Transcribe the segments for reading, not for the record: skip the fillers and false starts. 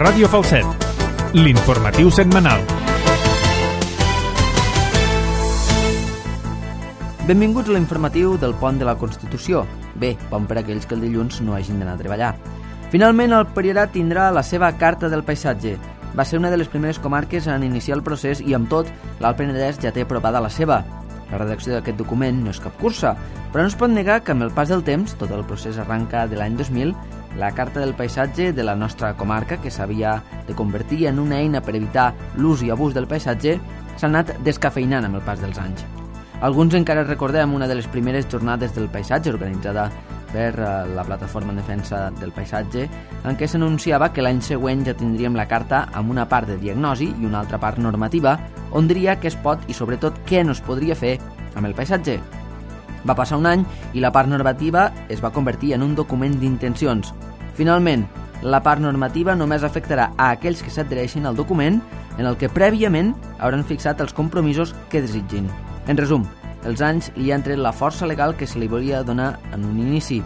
Ràdio Falset, l'informatiu setmanal. Benvinguts a l'informatiu del Pont de la Constitució. Bé, pont per aquells que el dilluns no hagin d'anar a treballar. Finalment, el Priorat tindrà la seva Carta del Paisatge. Va ser una de les primeres comarques en iniciar el procés i, amb tot, l'Alt Penedès ja té aprovada la seva. La redacció d'aquest document no és cap cursa, però no es pot negar que amb el pas del temps, tot el procés arranca de l'any 2000, la Carta del Paisatge de la nostra comarca, que s'havia de convertir en una eina per evitar l'ús i abús del paisatge, s'ha anat descafeinant amb el pas dels anys. Alguns encara recordem una de les primeres jornades del paisatge organitzada per la Plataforma en Defensa del Paisatge, en què s'anunciava que l'any següent ja tindríem la carta amb una part de diagnosi i una altra part normativa, on diria què es pot i sobretot què no es podria fer amb el paisatge. Va passar un any i la part normativa es va convertir en un document d'intencions. Finalment, la part normativa només afectarà a aquells que s'adhereixin al document en el que prèviament hauran fixat els compromisos que desitgin. En resum, els anys li han tret la força legal que se li volia donar en un inici.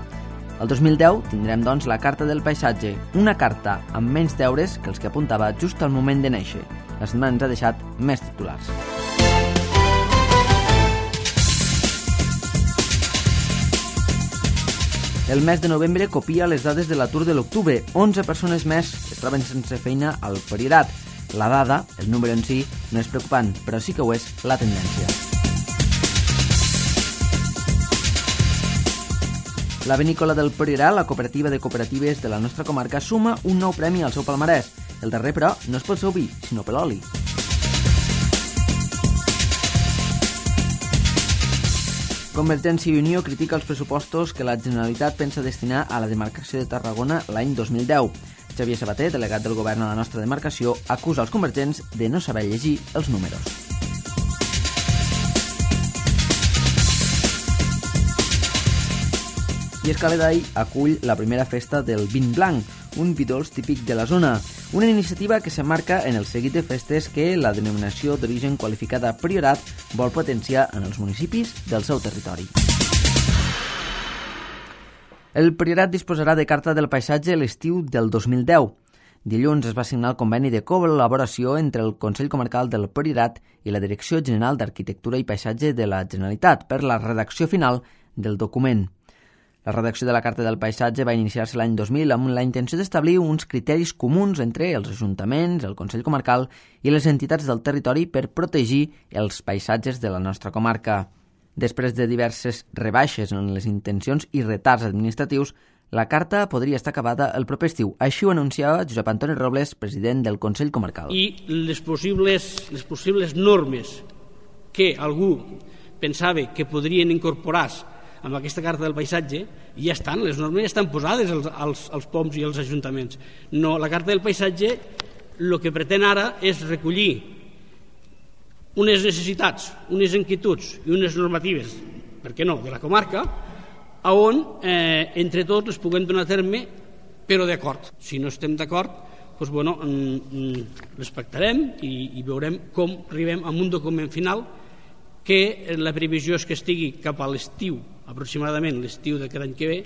El 2010 tindrem, doncs, la Carta del Paisatge, una carta amb menys deures que els que apuntava just al moment de néixer. La setmana ens ha deixat més titulars. El mes de novembre copia les dades de l'atur de l'octubre. 11 persones més es troben sense feina al Priorat. La dada, el número en si, no és preocupant, però sí que ho és la tendència. La Vinícola del Priorat, la cooperativa de cooperatives de la nostra comarca, suma un nou premi al seu palmarès. El darrer, però, no és pel seu vi, sinó per l'oli. Convergència i Unió critica els pressupostos que la Generalitat pensa destinar a la demarcació de Tarragona l'any 2010. Xavier Sabater, delegat del govern a la nostra demarcació, acusa els convergents de no saber llegir els números. I Escaledai acull la primera festa del vin blanc, un vi dolç típic de la zona, una iniciativa que s'emmarca en el seguit de festes que la denominació d'origen qualificada Priorat vol potenciar en els municipis del seu territori. El Priorat disposarà de Carta del Paisatge l'estiu del 2010. Dilluns es va signar el conveni de col·laboració entre el Consell Comarcal del Priorat i la Direcció General d'Arquitectura i Paisatge de la Generalitat per la redacció final del document. La redacció de la Carta del Paisatge va iniciar-se l'any 2000 amb la intenció d'establir uns criteris comuns entre els ajuntaments, el Consell Comarcal i les entitats del territori per protegir els paisatges de la nostra comarca. Després de diverses rebaixes en les intencions i retards administratius, la carta podria estar acabada el proper estiu. Així ho anunciava Josep Antoni Robles, president del Consell Comarcal. I les possibles normes que algú pensava que podrien incorporar-se amb aquesta Carta del Paisatge ja estan, les normes ja estan posades als POMs i als ajuntaments. No, la Carta del Paisatge el que pretén ara és recollir unes necessitats, unes inquietuds i unes normatives, per què no, de la comarca, on entre tots les puguem donar a terme, però d'acord. Si no estem d'acord, doncs, bueno, respectarem i veurem com arribem a un document final que la previsió és que estigui cap a l'estiu, aproximadament l'estiu d'aquest any que ve,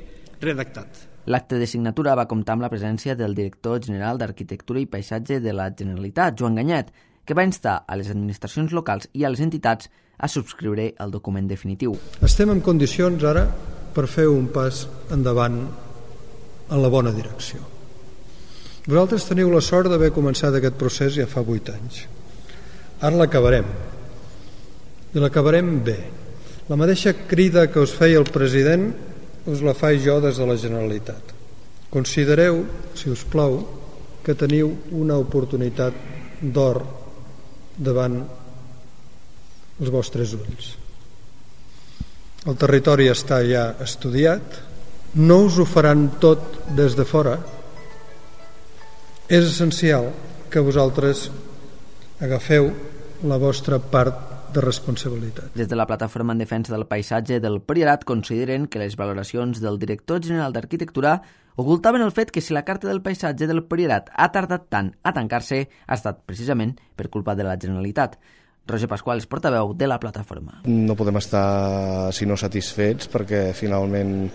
redactat. L'acte de signatura va comptar amb la presència del director general d'Arquitectura i Paisatge de la Generalitat, Joan Ganyet, que va instar a les administracions locals i a les entitats a subscriure el document definitiu. Estem en condicions ara per fer un pas endavant en la bona direcció. Vosaltres teniu la sort d'haver començat aquest procés ja fa 8 anys. Ara l'acabarem. I l'acabarem bé. La mateixa crida que us feia el president us la faig jo des de la Generalitat. Considereu, si us plau, que teniu una oportunitat d'or davant els vostres ulls. El territori està ja estudiat, no us ho faran tot des de fora. És essencial que vosaltres agafeu la vostra part de responsabilitat. Des de la Plataforma en Defensa del Paisatge del Priorat consideren que les valoracions del director general d'Arquitectura ocultaven el fet que si la Carta del Paisatge del Priorat ha tardat tant a tancar-se ha estat precisament per culpa de la Generalitat. Roger Pasqual és portaveu de la plataforma. No podem estar sinó satisfets perquè finalment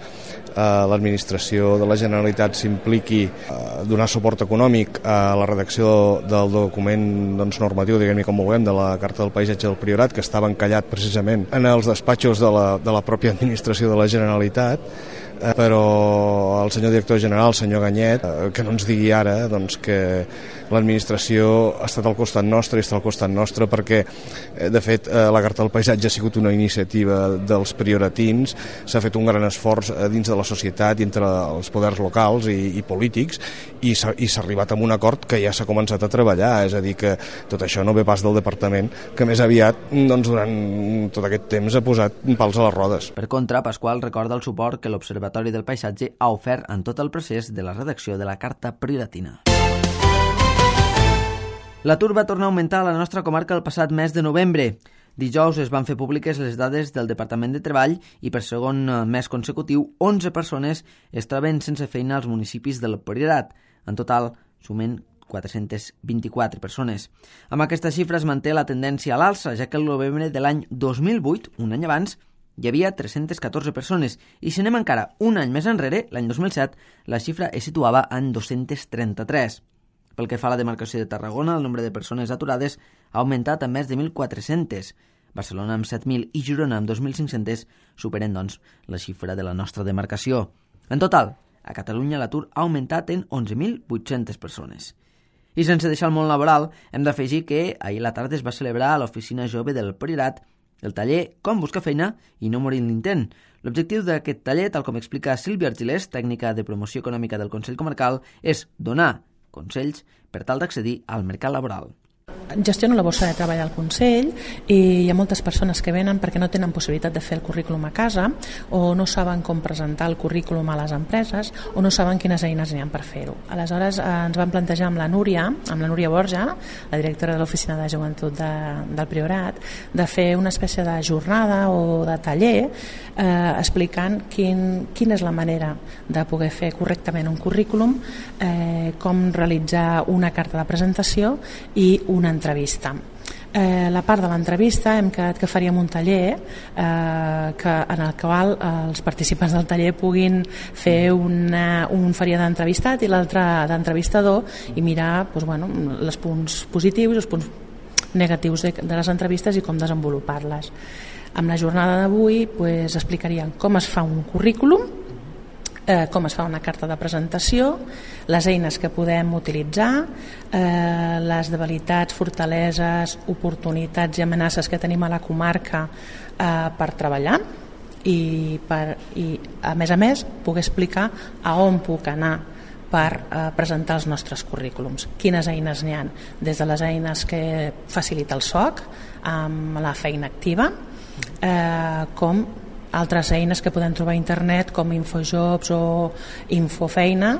l'administració de la Generalitat s'impliqui a donar suport econòmic a la redacció del document normatiu, diguem-ne com vulguem, de la Carta del Paisatge del Priorat, que estava encallat precisament en els despatxos de la pròpia administració de la Generalitat, però el senyor director general, el senyor Ganyet, que no ens digui ara que l'administració ha estat al costat nostre i està al costat nostre perquè, de fet, la Carta del Paisatge ha sigut una iniciativa dels prioratins, s'ha fet un gran esforç dins de la societat i entre els poders locals i polítics i s'ha arribat a un acord que ja s'ha començat a treballar, és a dir, que tot això no ve pas del departament, que més aviat durant tot aquest temps ha posat pals a les rodes. Per contra, Pasqual recorda el suport que l'Observatori del Paisatge ha ofert en tot el procés de la redacció de la Carta Prioratina. L'atur va tornar a augmentar a la nostra comarca el passat mes de novembre. Dijous es van fer públiques les dades del Departament de Treball i per segon mes consecutiu 11 persones es troben sense feina als municipis del Priorat. En total, sumen 424 persones. Amb aquesta xifra es manté la tendència a l'alça, ja que el novembre de l'any 2008, un any abans, hi havia 314 persones i si anem encara un any més enrere, l'any 2007, la xifra es situava en 233. Pel que fa a la demarcació de Tarragona, el nombre de persones aturades ha augmentat a més de 1.400. Barcelona amb 7.000 i Girona amb 2.500 superen, doncs, la xifra de la nostra demarcació. En total, a Catalunya l'atur ha augmentat en 11.800 persones. I sense deixar el món laboral, hem d'afegir que ahir a la tarda es va celebrar a l'Oficina Jove del Priorat el taller Com buscar feina i no morir en l'intent. L'objectiu d'aquest taller, tal com explica Sílvia Argilés, tècnica de promoció econòmica del Consell Comarcal, és donar consells per tal d'accedir al mercat laboral. Gestiono la borsa de treball al Consell i hi ha moltes persones que venen perquè no tenen possibilitat de fer el currículum a casa o no saben com presentar el currículum a les empreses o no saben quines eines n'hi ha per fer-ho. Aleshores ens vam plantejar amb la Núria Borja, la directora de l'Oficina de Joventut del Priorat, de fer una espècie de jornada o de taller explicant quina és la manera de poder fer correctament un currículum, com realitzar una carta de presentació i una entrevista. La part de l'entrevista hem quedat que faríem un taller en el qual els participants del taller puguin fer un faria d'entrevistat i l'altre d'entrevistador i mirar els punts positius i els punts negatius de les entrevistes i com desenvolupar-les. Amb la jornada d'avui explicaríem com es fa un currículum, com es fa una carta de presentació, les eines que podem utilitzar, les debilitats, fortaleses, oportunitats i amenaces que tenim a la comarca per treballar i a més poder explicar a on puc anar per presentar els nostres currículums. Quines eines n'hi ha? Des de les eines que facilita el SOC amb la feina activa, com altres eines que podem trobar a internet com Infojobs o Infofeina,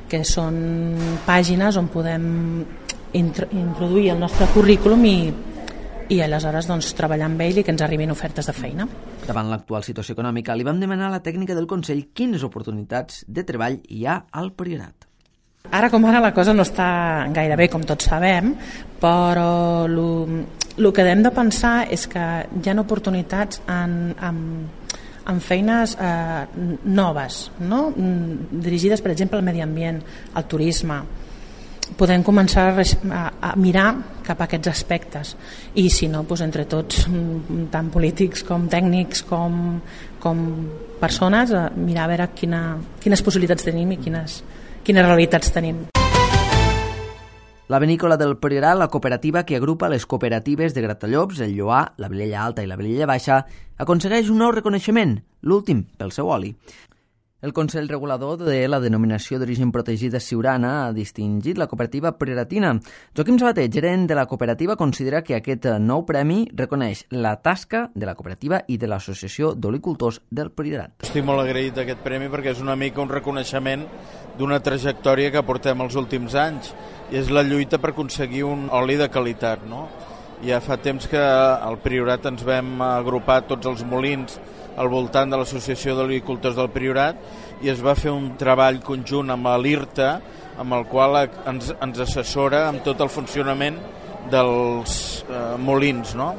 que són pàgines on podem introduir el nostre currículum i aleshores treballar amb ell i que ens arribin ofertes de feina. Davant l'actual situació econòmica, li vam demanar a la tècnica del Consell quines oportunitats de treball hi ha al Priorat. Ara com ara la cosa no està gaire bé, com tots sabem, però el que hem de pensar és que hi ha oportunitats en feines noves, no? Dirigides, per exemple, al medi ambient, al turisme. Podem començar a mirar cap a aquests aspectes i si no, entre tots, tant polítics com tècnics com persones, mirar a veure quines possibilitats tenim i quines realitats tenim. La Vinícola del Priorat, la cooperativa que agrupa les cooperatives de Gratallops, el Lloar, la Vilella Alta i la Vilella Baixa, aconsegueix un nou reconeixement, l'últim pel seu oli. El Consell Regulador de la Denominació d'Origen Protegida Siurana ha distingit la cooperativa prioratina. Joaquim Sabater, gerent de la cooperativa, considera que aquest nou premi reconeix la tasca de la cooperativa i de l'Associació d'Olicultors del Priorat. Estic molt agraït d'aquest premi perquè és una mica un reconeixement d'una trajectòria que portem els últims anys i és la lluita per aconseguir un oli de qualitat, no? Ja fa temps que al Priorat ens vam agrupar tots els molins al voltant de l'Associació d'Olicultors del Priorat i es va fer un treball conjunt amb l'IRTA amb el qual ens assessora amb tot el funcionament dels molins, no?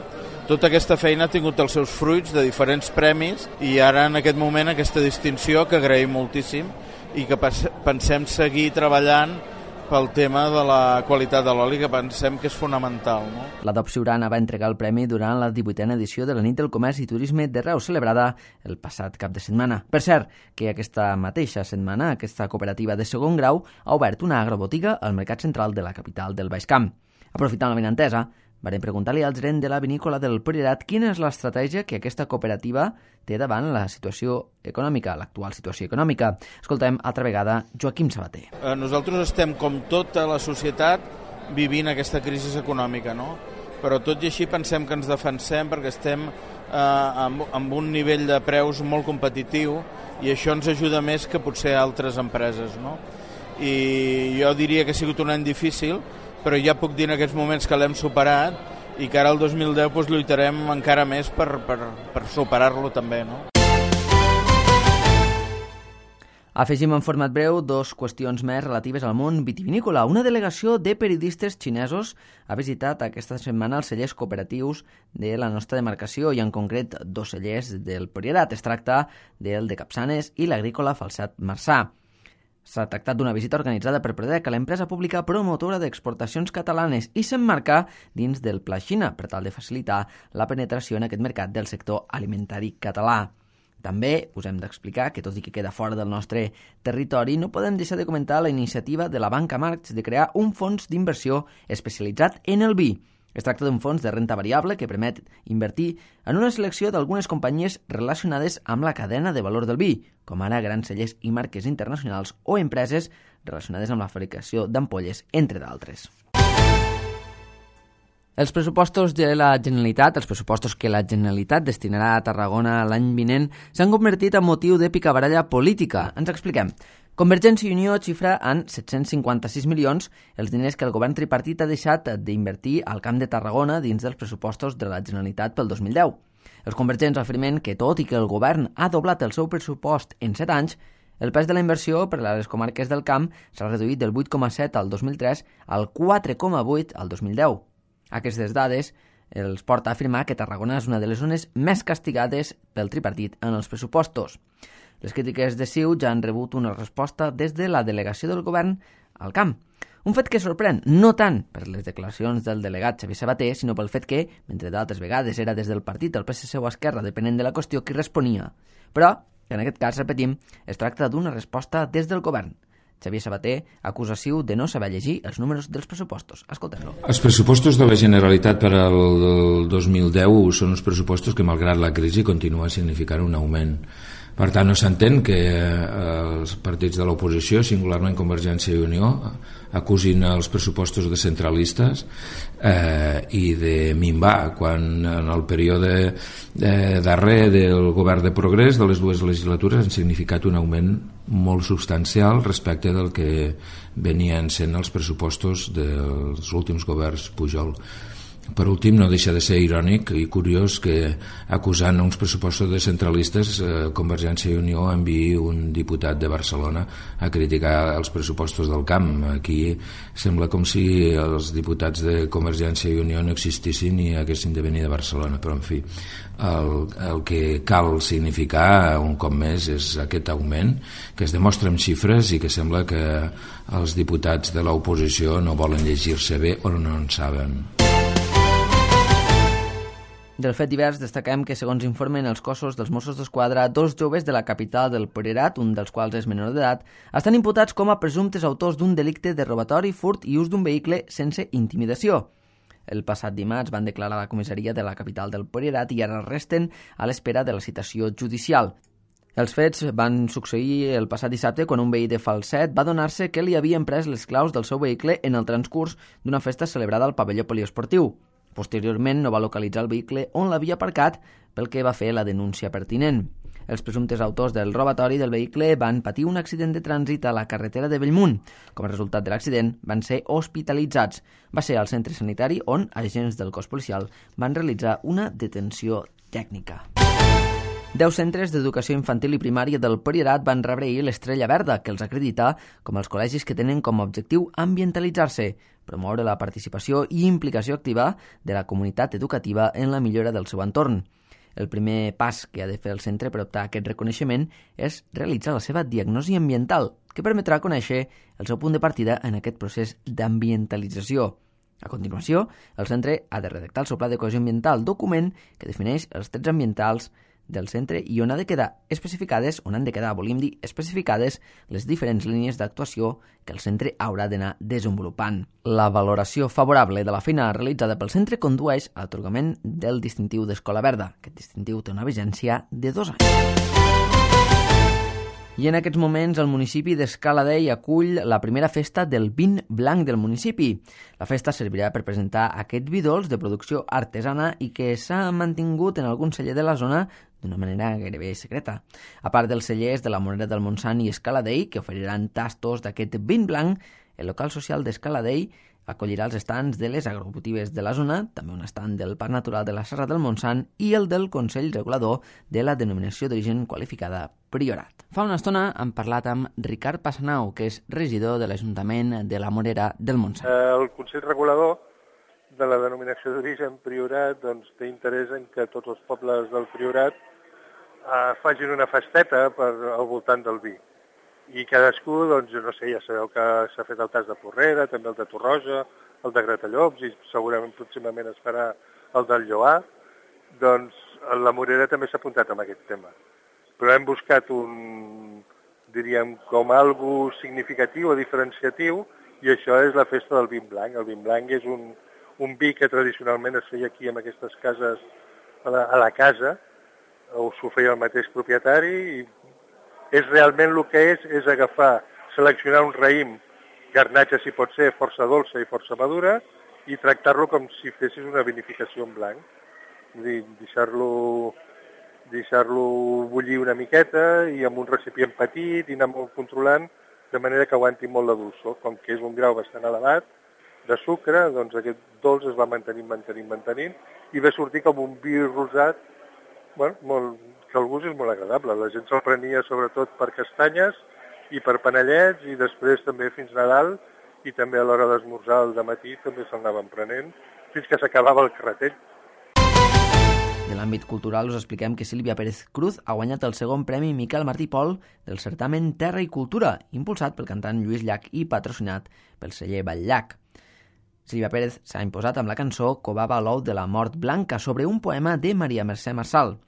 Tota aquesta feina ha tingut els seus fruits de diferents premis i ara en aquest moment aquesta distinció que agraïm moltíssim i que pensem seguir treballant pel tema de la qualitat de l'oli, que pensem que és fonamental. No? L'Adop Siurana va entregar el premi durant la 18a edició de la Nit del Comerç i Turisme de Reus, celebrada el passat cap de setmana. Per cert, que aquesta mateixa setmana aquesta cooperativa de segon grau ha obert una agrobotiga al mercat central de la capital del Baix Camp. Aprofitant la benentesa, vam preguntar-li al gerent de la vinícola del Priorat quina és l'estratègia que aquesta cooperativa té davant la situació econòmica, l'actual situació econòmica. Escoltem altra vegada Joaquim Sabater. Nosaltres estem, com tota la societat, vivint aquesta crisi econòmica, no? Però tot i així pensem que ens defensem perquè estem amb un nivell de preus molt competitiu i això ens ajuda més que potser altres empreses, no? I jo diria que ha sigut un any difícil, però ja puc dir en aquests moments que l'hem superat i que ara el 2010 doncs, lluitarem encara més per superar-lo també. No? Afegim en format breu dos qüestions més relatives al món vitivinícola. Una delegació de periodistes xinesos ha visitat aquesta setmana els cellers cooperatius de la nostra demarcació i en concret dos cellers del Priorat. Es tracta del de Capçanes i l'agrícola Falset Marçà. S'ha tractat d'una visita organitzada per Prodec, l'empresa pública promotora d'exportacions catalanes, i s'emmarca dins del Pla Xina per tal de facilitar la penetració en aquest mercat del sector alimentari català. També us hem d'explicar que, tot i que queda fora del nostre territori, no podem deixar de comentar la iniciativa de la Banca Marx de crear un fons d'inversió especialitzat en el vi. Es tracta d'un fons de renta variable que permet invertir en una selecció d'algunes companyies relacionades amb la cadena de valor del vi, com ara grans cellers i marques internacionals o empreses relacionades amb la fabricació d'ampolles, entre d'altres. Els pressupostos de la Generalitat, els pressupostos que la Generalitat destinarà a Tarragona l'any vinent, s'han convertit en motiu de picabaralla política. Ens expliquem. Convergència i Unió xifra en 756 milions els diners que el govern tripartit ha deixat d'invertir al Camp de Tarragona dins dels pressupostos de la Generalitat pel 2010. Els convergents afirmen que, tot i que el govern ha doblat el seu pressupost en 7 anys, el pes de la inversió per a les comarques del Camp s'ha reduït del 8,7 al 2003 al 4,8 al 2010. Aquestes dades els porta a afirmar que Tarragona és una de les zones més castigades pel tripartit en els pressupostos. Les crítiques de CiU ja han rebut una resposta des de la delegació del govern al camp. Un fet que sorprèn, no tant per les declaracions del delegat Xavier Sabater, sinó pel fet que, mentre d'altres vegades era des del partit del PSC o Esquerra, depenent de la qüestió, qui responia. Però, que en aquest cas, repetim, es tracta d'una resposta des del govern. Xavier Sabater acusa CiU de no saber llegir els números dels pressupostos. Escoltem-lo. Els pressupostos de la Generalitat per al 2010 són uns pressupostos que, malgrat la crisi, continua significant un augment. Per tant, no s'entén que els partits de l'oposició, singularment Convergència i Unió, acusin els pressupostos de centralistes i de minvar, quan en el període darrer del govern de progrés de les dues legislatures han significat un augment molt substancial respecte del que venien sent els pressupostos dels últims governs Pujol. Per últim, no deixa de ser irònic i curiós que, acusant uns pressupostos de centralistes, Convergència i Unió enviï un diputat de Barcelona a criticar els pressupostos del camp. Aquí sembla com si els diputats de Convergència i Unió no existissin i haguessin de venir de Barcelona, però en fi, el que cal significar un cop més és aquest augment que es demostra amb xifres i que sembla que els diputats de l'oposició no volen llegir-se bé o no en saben. Del fet divers destaquem que, segons informen els cossos dels Mossos d'Esquadra, 2 joves de la capital del Priorat, un dels quals és menor d'edat, estan imputats com a presumptes autors d'un delicte de robatori, furt i ús d'un vehicle sense intimidació. El passat dimarts van declarar a la comissaria de la capital del Priorat i ara resten a l'espera de la citació judicial. Els fets van succeir el passat dissabte quan un veí de Falset va adonar-se que li havien pres les claus del seu vehicle en el transcurs d'una festa celebrada al pavelló poliesportiu. Posteriorment no va localitzar el vehicle on l'havia aparcat, pel que va fer la denúncia pertinent. Els presumptes autors del robatori del vehicle van patir un accident de trànsit a la carretera de Bellmunt. Com a resultat de l'accident, van ser hospitalitzats. Va ser al centre sanitari on agents del cos policial van realitzar una detenció tècnica. 10 centres d'educació infantil i primària del Priorat van rebre ahir l'Estrella Verda, que els acredita com els col·legis que tenen com a objectiu ambientalitzar-se, promoure la participació i implicació activa de la comunitat educativa en la millora del seu entorn. El primer pas que ha de fer el centre per optar a aquest reconeixement és realitzar la seva diagnosi ambiental, que permetrà conèixer el seu punt de partida en aquest procés d'ambientalització. A continuació, el centre ha de redactar el seu pla de cohesió ambiental, document que defineix els trets ambientals del centre i on han de quedar especificades les diferents línies d'actuació que el centre haurà d'anar desenvolupant. La valoració favorable de la feina realitzada pel centre condueix a l'atorgament del distintiu d'Escola Verda. Aquest distintiu té una vigència de 2 anys. I en aquests moments el municipi d'Escaladei acull la primera festa del vin blanc del municipi. La festa servirà per presentar aquest vi dolç de producció artesana i que s'ha mantingut en algun celler de la zona d'una manera gairebé secreta. A part dels cellers de la Morera del Montsant i Escaladei, que oferiran tastos d'aquest vin blanc, el local social d'Escaladei acollirà els estands de les agrobotigues de la zona, també un estand del Parc Natural de la Serra del Montsant i el del Consell Regulador de la Denominació d'Origen Qualificada Priorat. Fa una estona hem parlat amb Ricard Passanau, que és regidor de l'Ajuntament de la Morera del Montsant. El Consell Regulador de la Denominació d'Origen Priorat té interès en que tots els pobles del Priorat facin una festeta al voltant del vi. I cadascú, ja sabeu que s'ha fet el tas de Porrera, també el de Torroja, el de Gratallops, i segurament pròximament es farà el del Lloar. La Morera també s'ha apuntat amb aquest tema. Però hem buscat com algo significatiu o diferenciatiu, i això és la festa del vin blanc. El vin blanc és un vi que tradicionalment es feia aquí en aquestes cases, a la casa, o s'ho feia el mateix propietari, i és realment el que és agafar, seleccionar un raïm, garnatxa si pot ser, força dolça i força madura, i tractar-lo com si fessis una vinificació en blanc. Deixar-lo bullir una miqueta i amb un recipient petit i anar molt controlant, de manera que aguanti molt la dolçor. Com que és un grau bastant elevat de sucre, aquest dolç es va mantenint, i va sortir com un vi rosat, que el gust és molt agradable. La gent se'l prenia sobretot per castanyes i per panellets, i després també fins Nadal, i també a l'hora d'esmorzar al dematí també se'l anaven prenent, fins que s'acabava el carretell. De l'àmbit cultural us expliquem que Sílvia Pérez Cruz ha guanyat el segon premi Miquel Martí Pol del certamen Terra i Cultura, impulsat pel cantant Lluís Llach i patrocinat pel celler Batllach. Sílvia Pérez s'ha imposat amb la cançó Covava l'ou de la mort blanca, sobre un poema de Maria Mercè Marçal.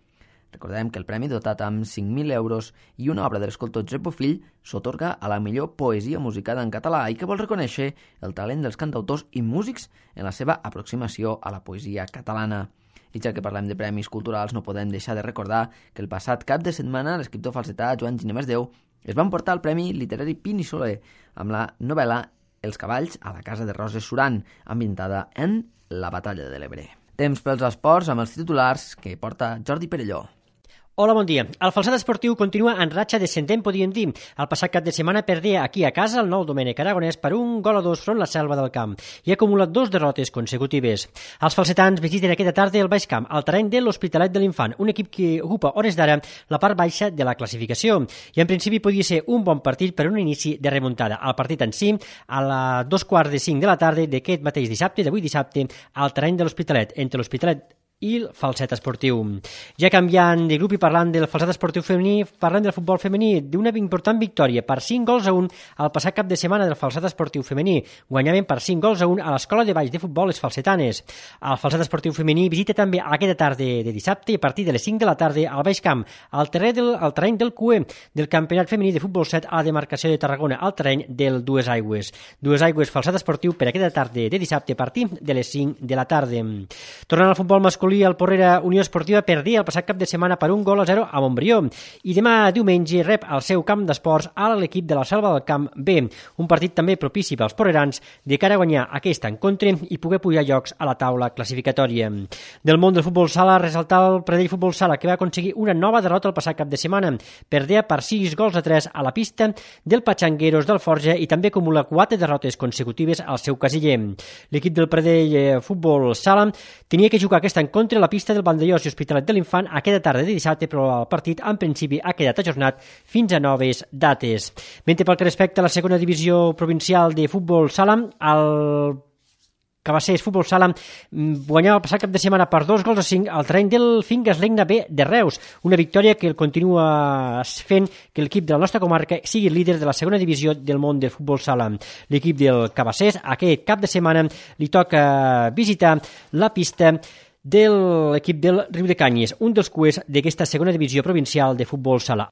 Recordem que el premi, dotat amb 5.000 euros i una obra de l'escultor Josep Bofill, s'atorga a la millor poesia musicada en català i que vol reconèixer el talent dels cantautors i músics en la seva aproximació a la poesia catalana. I ja que parlem de premis culturals, no podem deixar de recordar que el passat cap de setmana l'escriptor falsetà Joan Ginemés Déu es va emportar el Premi Literari Pin i Soler amb la novel·la Els cavalls a la casa de Roses Suran, ambientada en la Batalla de l'Ebre. Temps pels esports amb els titulars que porta Jordi Perelló. Hola, bon dia. El Falset Esportiu continua en ratxa descendent, podríem dir. El passat cap de setmana perdia aquí a casa el nou Domènec Aragonès per 1-2 front la Selva del Camp i ha acumulat 2 derrotes consecutives. Els falsetans visiten aquesta tarda el Baix Camp, al terreny de l'Hospitalet de l'Infant, un equip que ocupa hores d'ara la part baixa de la classificació. I en principi podia ser un bon partit per un inici de remuntada. El partit en si, a les 2:45 de la tarda d'aquest mateix dissabte, d'avui dissabte, al terreny de l'Hospitalet, entre l'Hospitalet i el Falset Esportiu. Ja canviant de grup i parlant del Falset Esportiu femení, parlant del futbol femení, d'una important victòria per 5-1 al passat cap de setmana del Falset Esportiu femení. Guanyaven per 5-1 a l'Escola de Baix de Futbol Les Falsetanes. El Falset Esportiu femení visita també aquesta tarda de dissabte, a partir de les 5 de la tarda, al Baix Camp, al terreny del CUE del Campionat Femení de Futbol 7 a la demarcació de Tarragona, al terreny del Dues Aigües. Dues Aigües Falset Esportiu per aquesta tarda de dissabte a partir de les 5 de la tarda. Tornant al futbol masculí, el Porrera Unió Esportiva perdia el passat cap de setmana per 1-0 a Montbrió i demà diumenge rep al seu camp d'esports a l'equip de la Selva del Camp B, un partit també propici pels porrerans de cara a guanyar aquest encontre i poder pujar llocs a la taula classificatòria. Del món del futbol sala, resaltar el Pradell Futbol Sala, que va aconseguir una nova derrota el passat cap de setmana. Perdia per 6-3 a la pista del Patxangueros del Forja i també acumula 4 derrotes consecutives al seu casiller. L'equip del Pradell Futbol Sala tenia que jugar aquest encontre contra la pista del Vandellós i Hospitalet de l'Infant aquesta tarda de dissabte, però el partit en principi ha quedat ajornat fins a noves dates. Mentre pel que respecta a la segona divisió provincial de futbol sala, el Cabassers Futbol Sala guanyava el passat cap de setmana per 2-5 al terreny del Fingas Legna B de Reus, una victòria que el continua fent que l'equip de la nostra comarca sigui líder de la segona divisió del món del futbol sala. L'equip del Cabassers aquest cap de setmana li toca visitar la pista de l'equip del Riudecanyes, un dels cuers d'aquesta segona divisió provincial de futbol sala.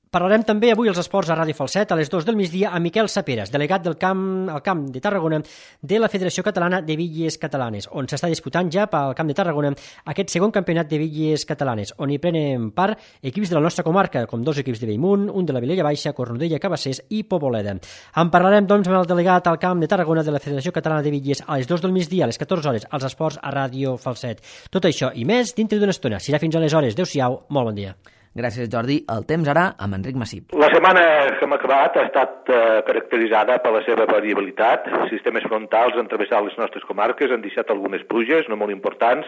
Parlarem també avui als esports a Ràdio Falset a les 2 del migdia amb Miquel Saperas, delegat del camp de Tarragona de la Federació Catalana de Bitlles Catalanes, on s'està disputant ja pel Camp de Tarragona aquest segon campionat de bitlles catalanes, on hi prenen part equips de la nostra comarca, com 2 equips de Bellmunt, un de la Vilella Baixa, Cornudella, Cabassers i Poboleda. En parlarem, doncs, amb el delegat al Camp de Tarragona de la Federació Catalana de Bitlles a les 2 del migdia, a les 14 hores, als esports a Ràdio Falset. Tot això i més dintre d'una estona. Serà fins aleshores. Adéu-siau, molt bon dia. Gràcies, Jordi. El temps ara amb Enric Massip. La setmana que hem acabat ha estat caracteritzada per la seva variabilitat. Sistemes frontals han travessat les nostres comarques, han deixat algunes pluges, no molt importants,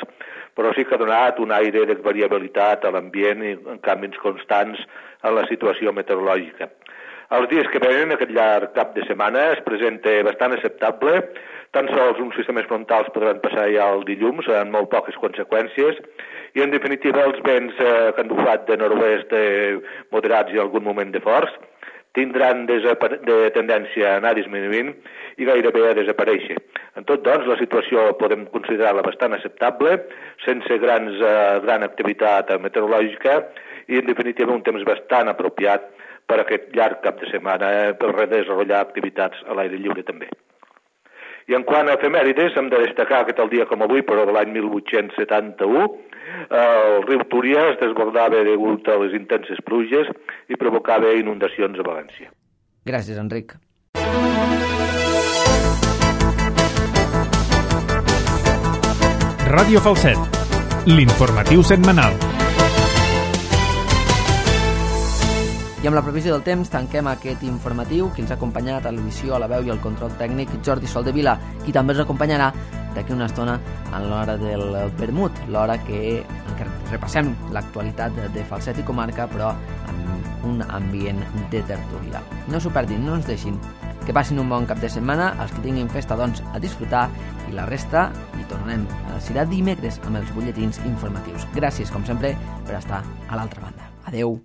però sí que ha donat un aire de variabilitat a l'ambient i canvis constants a la situació meteorològica. Els dies que venen, aquest llarg cap de setmana, es presenta bastant acceptable. Tan sols uns sistemes frontals podran passar ja el dilluns, amb molt poques conseqüències, i en definitiva els vents que han bufat de nord-oest moderats i algun moment de forts tindran de tendència a anar disminuint i gairebé a desaparèixer. En tot, doncs, la situació podem considerar-la bastant acceptable, sense gran activitat meteorològica i, en definitiva, un temps bastant apropiat per aquest llarg cap de setmana per desenvolupar activitats a l'aire lliure també. I en quant a efemèrides, hem de destacar que tal dia com avui, però de l'any 1871, el riu Túria es desbordava degut a les intenses pluges i provocava inundacions a València. Gràcies, Enric. Ràdio Falset, l'informatiu setmanal. I amb la previsió del temps tanquem aquest informatiu que ens ha acompanyat a l'edició, a la veu i al control tècnic Jordi Soldevila, qui també ens acompanyarà d'aquí una estona en l'hora del vermut, l'hora que repassem l'actualitat de Falset i comarca, però amb un ambient de tertúlia. No s'ho perdin, no ens deixin. Que passin un bon cap de setmana, els que tinguin festa, doncs, a disfrutar, i la resta hi tornem. Serà dimecres amb els butlletins informatius. Gràcies, com sempre, per estar a l'altra banda. Adeu.